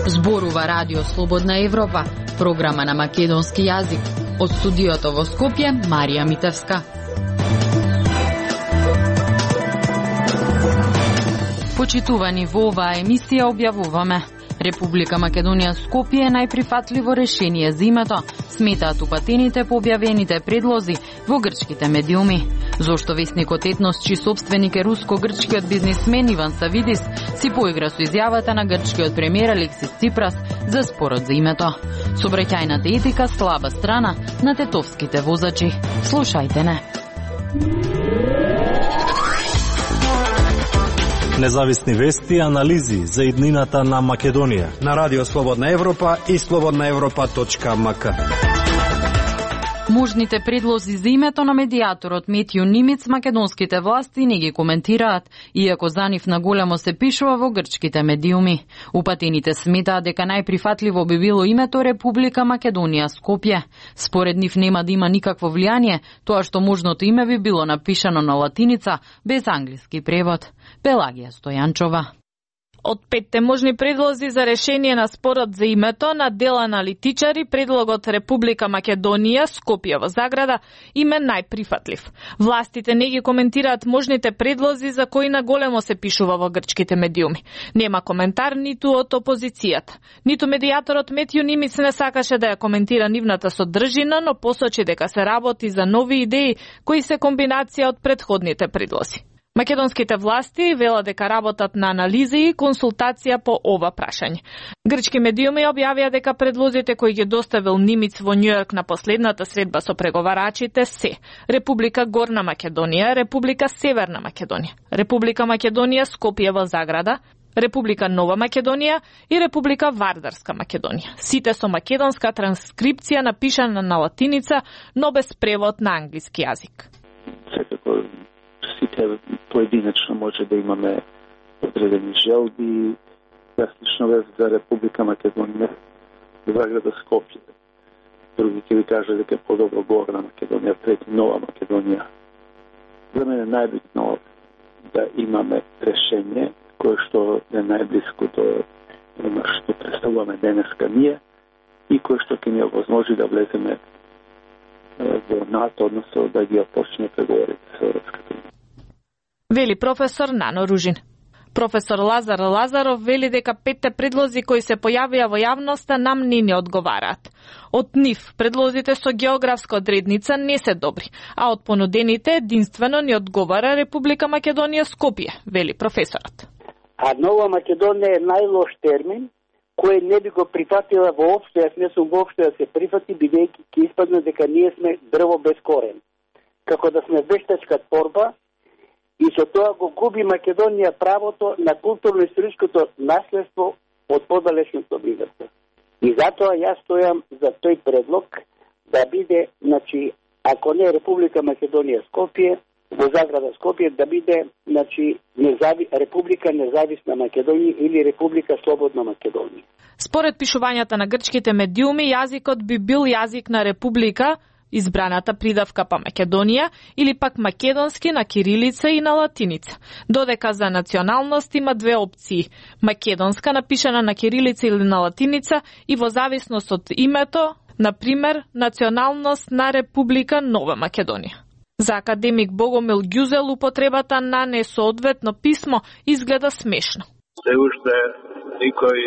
Зборува Радио Слободна Европа, програма на македонски јазик. Од студиото во Скопје, Марија Митевска. Почитувани, во оваа емисија објавуваме: Република Македонија Скопје е најприфатливо решение за името, сметаат упатените по објавените предлози во грчките медиуми. Зошто весникот Етнос, чиј собственик е руско-грчкиот бизнисмен Иван Савидис, си поигра со изјавата на грчкиот премиер Алексис Ципрас за спорот за името. Сообраќајната етика слаба страна на тетовските возачи. Слушајте не. Независни вести и анализи за иднината на Македонија на Радио Слободна Европа и slobodnaevropa.mk. Можните предлози за името на медијаторот Метју Нимиц македонските власти не ги коментираат, иако за нив на големо се пишува во грчките медиуми. Упатените сметаат дека најприфатливо би било името Република Македонија Скопје. Според нив нема да има никакво влијание тоа што можното име би било напишано на латиница без англиски превод. Пелагија Стојанчова. Од 5 можни предлози за решение на спорот за името на дел аналитичари, предлогот Република Македонија Скопје во заграда им е најприфатлив. Властите не ги коментираат можните предлози за кои на големо се пишува во грчките медиуми. Нема коментар ниту од опозицијата. Ниту медијаторот Метју Нимиц не сакаше да ја коментира нивната содржина, но посочи дека се работи за нови идеи кои се комбинација од претходните предлози. Македонските власти велат дека работат на анализи и консултација по ова прашање. Грчки медиуми објавија дека предлозите кои ги доставил Нимиц во Њујорк на последната средба со преговарачите се Република Горна Македонија, Република Северна Македонија, Република Македонија Скопје во заграда, Република Нова Македонија и Република Вардарска Македонија. Сите со македонска транскрипција напишана на латиница, но без превод на англиски јазик. Сите поединечно може да имаме одредени желби, јас за Република Македонија, заграда Скопје. Други ќе ви кажа дека е подобро Горна Македонија, трети Нова Македонија. За мене е најбитно да имаме решение кое што е најблиско до оно што представуваме денеска ние и кое што ќе ни овозможи да влеземе во НАТО, односно да ги почне преговорите со Европската унија. Вели професор Нано Ружин. Професор Лазар Лазаров вели дека 5 предлози кои се појавија во јавноста нам не одговараат. Од нив предлозите со географска одредница не се добри, а од понудените единствено ни одговара Република Македонија Скопје, вели професорот. А Нова Македонија е најлош термин кој не би го прифатила воопшто, јас не сум воопшто да се прифати, бидејќи ќе испадне дека ние сме дрво без корен. Како да сме вештачка торба, и со тоа го губи Македонија правото на културно-историското наследство од подалечното минато. И затоа јас стојам за тој предлог да биде, значи, ако не Република Македонија Скопје, во заграда Скопје, да биде, значи, Република Независна Македонија или Република Слободна Македонија. Според пишувањата на грчките медиуми, јазикот би бил јазик на Република, избраната придавка па Македонија, или пак македонски на кирилица и на латиница. Додека за националност има две опции: македонска напишана на кирилица или на латиница и во зависност од името, например, националност на Република Нова Македонија. За академик Богомил Ѓузел употребата на несоодветно писмо изгледа смешно. Се уште никој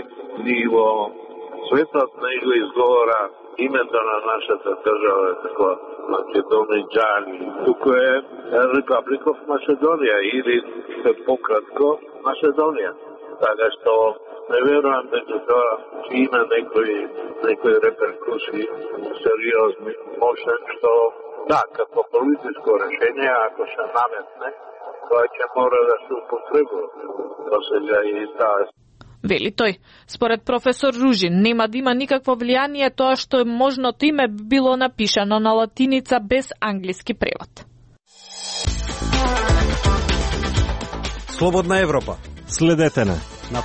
ни во светот не го изговора името на нашата држава како Македонијани. Туку е Република Македонија или пократко Македонија. Така што не верувам дека тоа ќе има некои реперкусии сериозни. Може што да, како политичко решение, ако се наметне, тоа ќе мора да се употребува. До сега и таа. Вели тој. Според професор Ружин, нема да има никакво влијание тоа што можното име било напишано на латиница без англиски превод. Слободна Европа. Следете на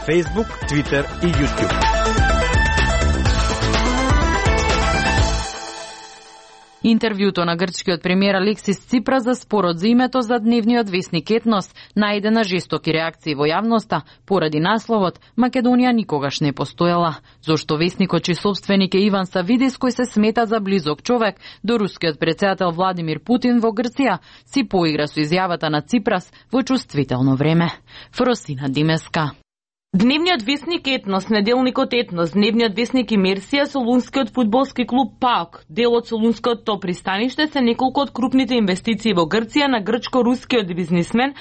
Facebook, Twitter и YouTube. Интервјуто на грчкиот премиер Алексис Ципрас за спорот за името за дневниот весник Етнос најде на жестоки реакции во јавноста поради насловот Македонија никогаш не постоела, зошто весникот чиј собственик е Иван Савидис, кој се смета за близок човек до рускиот претседател Владимир Путин во Грција, си поигра со изјавата на Ципрас во чувствително време. Фросина Димеска. Дневниот весник Етнос, неделникот Етнос, дневниот весник Имерсија, солунскиот фудбалски клуб ПАОК, дел од солунското пристаниште се неколку од крупните инвестиции во Грција на грчко-рускиот бизнисмен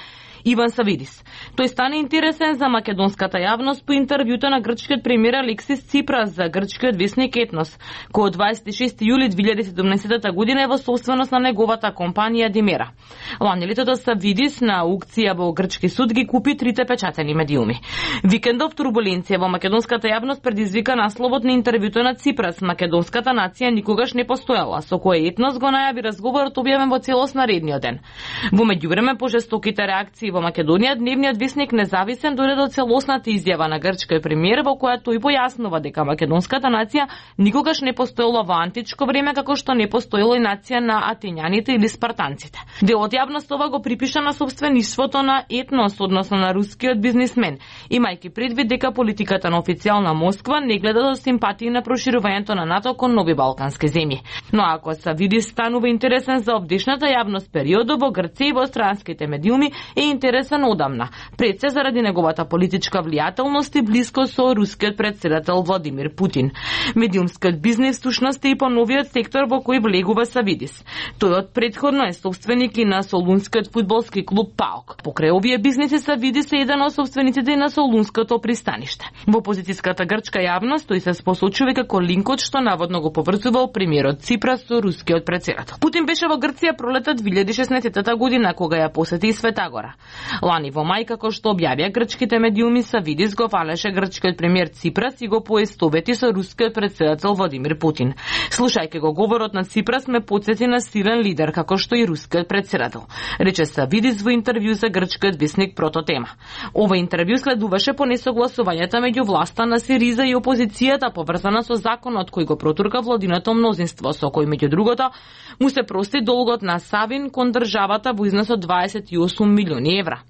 Иван Савидис. Тој стана интересен за македонската јавност по интервјуто на грчкиот премиер Алексис Ципрас за грчкиот весник Етнос, кој од 26 јули 2017 година е во собственост на неговата компанија Димера. Лани летото Савидис на аукција во грчки суд ги купи трите печатени медиуми. Викендов турбуленција во македонската јавност предизвика насловот на интервјуто на Ципрас "Македонската нација никогаш не постоела", со кој Етнос го најави разговорот објавен во целост наредниот ден. Во меѓувреме пожестоките реакции во Македонија, дневниот весник независен дојде до целосната изјава на грчкиот премиер во која тој појаснува дека македонската нација никогаш не постоела во античко време како што не постоела и нација на атинјаните или спартанците. Дел од јавност ова го припиша на собствеништвото на Етнос, односно на рускиот бизнисмен, имајќи предвид дека политиката на официјална Москва не гледа со симпатии на проширувањето на НАТО кон нови балкански земји. Но ако Савидис станува интересен за обдешната јавност периодо во Грција и во странските медиуми е интересен одамна, пред се заради неговата политичка влијателност и близко со рускиот претседател Владимир Путин. Медиумскиот бизнис всушност е и по новиот сектор во кој влегува Савидис. Тој од претходно е собственик и на солунскиот фудбалски клуб ПАОК. Покрај овие бизниси Савидис е еден од собствениците и на солунското пристаниште. Во опозицијската грчка јавност тој се спосочува како линкот што наводно го поврзувал премиерот Ципрас со рускиот претседател. Путин беше во Грција пролета 2016 година кога ја посети Светагора. Лани во мај, како што објавија грчките медиуми, Савидис го фалеше грчкиот премиер Ципрас и го поистовети со рускиот претседател Владимир Путин. Слушајќи го говорот на Ципрас ме потсети на силен лидер како што и рускиот претседател, рече Савидис во интервју за грчкиот весник Прототема. Ова интервју следуваше по несогласувањата меѓу власта на СИРИЗА и опозицијата поврзана со законот кој го протурка владиното мнозинство, со кој меѓу другото му се прости долгот на Савин кон државата во износ од 28 милиони евра.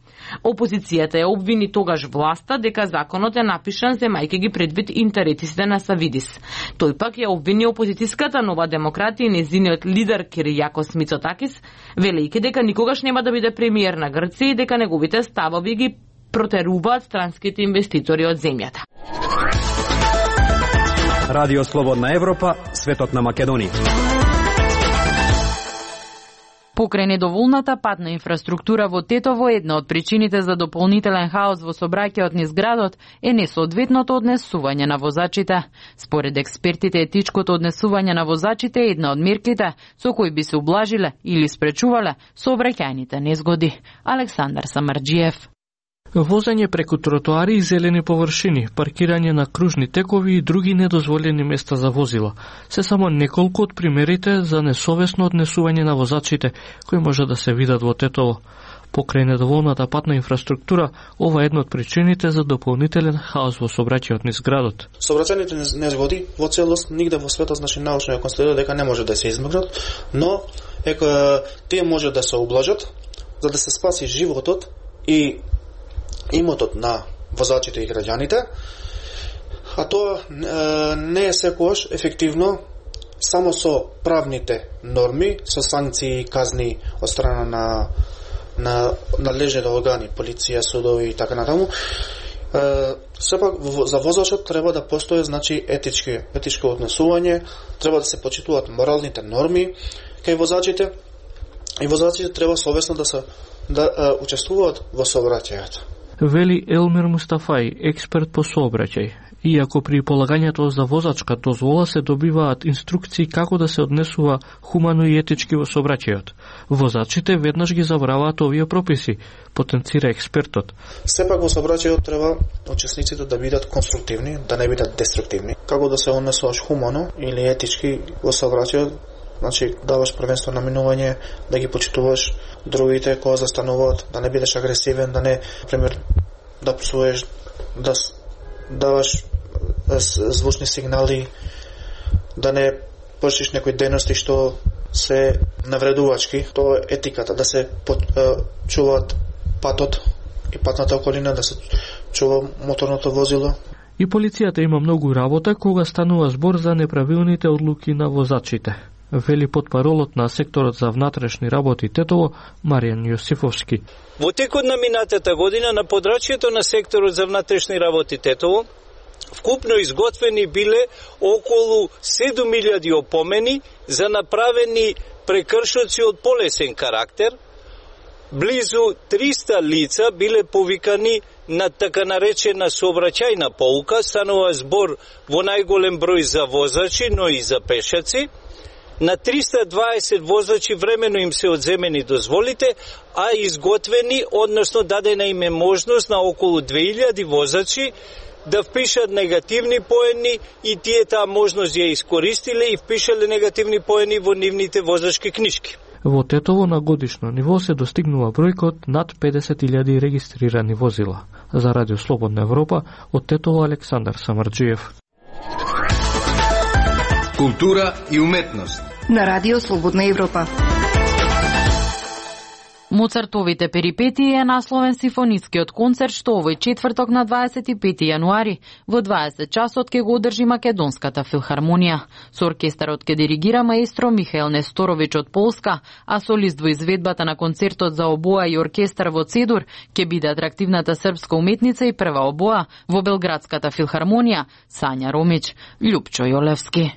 Опозицијата ја обвини тогаш власта дека законот е напишан земајќи ги предвид интересите на Савидис. Тој пак ја обвини опозицијската Нова демократија и незиниот лидер Киријакос Мицотакис, велејќи дека никогаш нема да биде премиер на Грција и дека неговите ставови ги протеруваат странските инвеститори од земјата. Радио Слободна Европа, светот на Македонија. Покрај недоволната патна инфраструктура во Тетово, една од причините за дополнителен хаос во сообраќајот низ градот е несоодветното однесување на возачите. Според експертите, етичкото однесување на возачите е една од мерките со кои би се ублажиле или спречувале сообраќајните незгоди. Александар Самарџиев. Возење преку тротоари и зелени површини, паркирање на кружни текови и други недозволени места за возила се само неколку од примерите за несовесно однесување на возачите кои може да се видат во Тетово. Покрај недоволната патна инфраструктура, ова е една од причините за дополнителен хаос во сообраќајот низ градот. Сообраќајните незгоди во целост нигде во светот, научно е констатирано дека не може да се измргнат, но тие може да се ублажат за да се спаси животот и имотот на возачите и граѓаните, а тоа не е секогаш ефективно само со правните норми, со санкции и казни од страна на надлежните органи, полиција, судови и така натаму. Сепак за возачот треба да постои етичко однесување, треба да се почитуваат моралните норми кај возачите и возачите треба совесно да учествуваат во сообраќајот. Вели Елмир Мустафај, експерт по сообраќај. Иако при полагањето за возачка дозвола се добиваат инструкции како да се однесува хумано и етички во сообраќајот, возачите веднаш ги забраваат овие прописи, потенцира експертот. Сепак во сообраќајот треба учесниците да бидат конструктивни, да не бидат деструктивни. Како да се однесуваш хумано или етички во сообраќајот, значи даваш првенство на минување, да ги почитуваш другите кога застануваат, да не бидеш агресивен, да не, например, да псуеш, да даваш звучни сигнали, да не вршиш некои дејности што се навредувачки. Тоа е етиката, да се чуваат патот и патната околина, да се чува моторното возило. И полицијата има многу работа кога станува збор за неправилните одлуки на возачите, вели потпаролот на секторот за внатрешни работи Тетово Маријан Јосифовски. Во текот на минатата година на подрачјето на секторот за внатрешни работи Тетово вкупно изготвени биле околу 7000 опомени за направени прекршоци од полесен карактер. Близу 300 лица биле повикани на така наречена сообраќајна поука, станува збор во најголем број за возачи, но и за пешаци. На 320 возачи времено им се одземени дозволите, а изготвени, односно дадена им е можност на околу 2000 возачи да впишат негативни поени и тие таа можност ја искористиле и впишале негативни поени во нивните возачки книжки. Во Тетово на годишно ниво се достигнува бројкот над 50.000 регистрирани возила. За Радио Слободна Европа, од Тетово Александар Самарджиев. Култура и уметност на Радио Слободна Европа. Моцартовите перипетии е насловен симфонискиот концерт што овој четврток на 25 јануари во 20 часот ќе го одржи Македонската филхармонија. Со оркестарот ќе диригира маестро Михаил Несторович од Полска, а солист во изведбата на концертот за обоа и оркестар во Цедур ќе биде атрактивната српска уметница и прва обоа во Белградската филхармонија Сања Ромич. Љупчо Јолевски.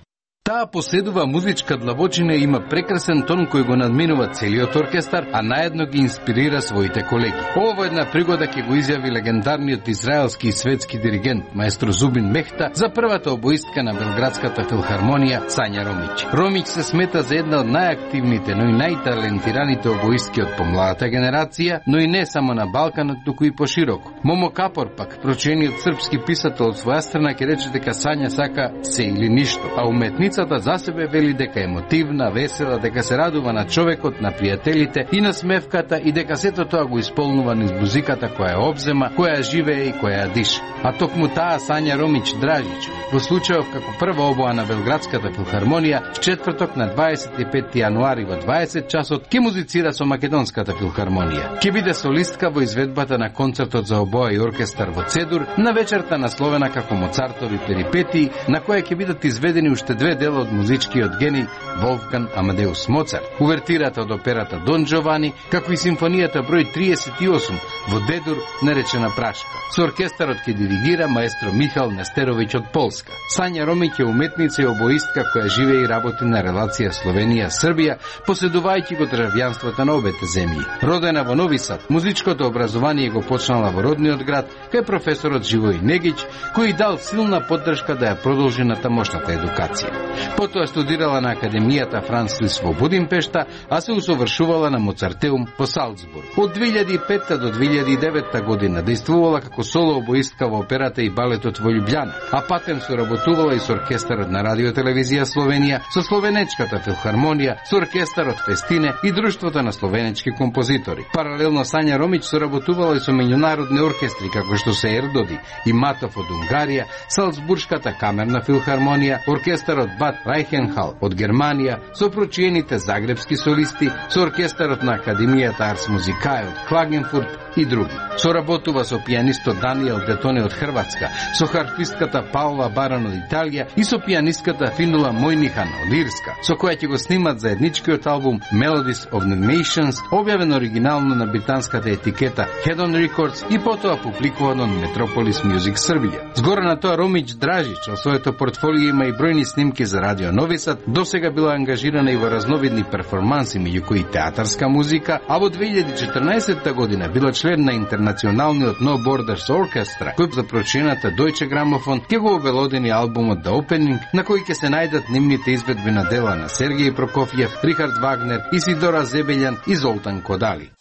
Таа поседува музичка длабочина и има прекрасен тон кој го надминува целиот оркестар, а наедно ги инспирира своите колеги. Ова една пригода ќе го изјави легендарниот израелски и светски диригент маестро Зубин Мехта за првата обоистка на Белградската филхармонија Сања Ромич. Ромич се смета за една од најактивните, но и најталентираните обоистки од помладата генерација, но и не само на Балканот, туку и пошироко. Момо Капор пак, прочениот српски писател од своја страна, ќе рече дека Сања сака се или ништо, а уметницата за себе вели дека е емотивна, весела, дека се радува на човекот, на пријателите и на смевката и дека сето тоа го исполнува низ музиката која ја обзема, која живее и која ја диша. А токму таа Сања Ромич Дражич, во случајов како прва обоа на Белградската филхармонија, в четврток на 25 јануари во 20 часот ќе музицира со Македонската филхармонија. Ќе биде солистка во изведбата на концертот за обоа и оркестар во Цедур на вечерта насловена како Моцартови перипетии, на која ќе бидат изведени уште две дела од музичкиот гений Волфган Амадеус Моцарт, увертирата од операта Дон Джовани, како и симфонијата број 38 во Дедур наречена Прашка. Со оркестарот ќе диригира маестро Михаил Нестерович од Полска. Сања Ромич е уметница и обоистка која живее и работи на релација Словенија-Србија, поседувајќи го државјанството на обете земји. Родена во Нови Сад, музичкото образование го почнала во родниот град кај професорот Живој Негич, кој дал силна поддршка да ја продолжи на тамошната едукација. Потоа студирала на Академијата Франц Лист во Будимпешта, а се усовршувала на Моцартеум по Салцбург. Од 2005 до 2009 година действувала како соло обоистка во операта и балетот во Љубљана, а патем соработувала и со оркестарот на Радио Телевизија Словенија, со Словенечката филхармонија, со оркестарот Фестине и Друштвото на словенечки композитори. Паралелно Сања Ромич соработувала и со меѓународни оркестри како што се Ердоди и Матов од Унгарија, Салцбуршката камерна филхармонија, оркестарот Бад Райхенхал од Германија, со прочиените загребски солисти, со оркестарот на Академијата Арс Музикај од Клагенфурт и други. Соработува со пијанистот Даниел Детоне од Хрватска, со харфистката Паула Баран од Италија и со пијанистката Финула Мојнихан од Ирска, со која ќе го снимат заедничкиот албум Melodies of the Nations, објавен оригинално на британската етикета Head on Records и потоа публикувано на Metropolis Music Србија. Згора на тоа Ромич Дражич во своето портфолио има и бројни снимки за Радио Нови Сад, досега била ангажирана и во разновидни перформанси, меѓу кои театарска музика, а во 2014 година била член на интернационалниот No Borders Orchestra, кој за прочината Deutsche Grammophon ќе го обелодени албумот The Opening, на кој ќе се најдат нивните изведби на дела на Сергеј Прокофиев, Рихард Вагнер, Исидора Зебелјан и Золтан Кодали.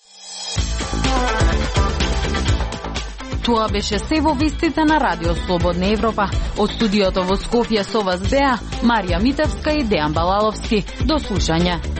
Тоа беше се во вестите на Радио Слободна Европа. Од студиото во Скопје со вас беа Марија Митевска и Дејан Балаловски. До слушање.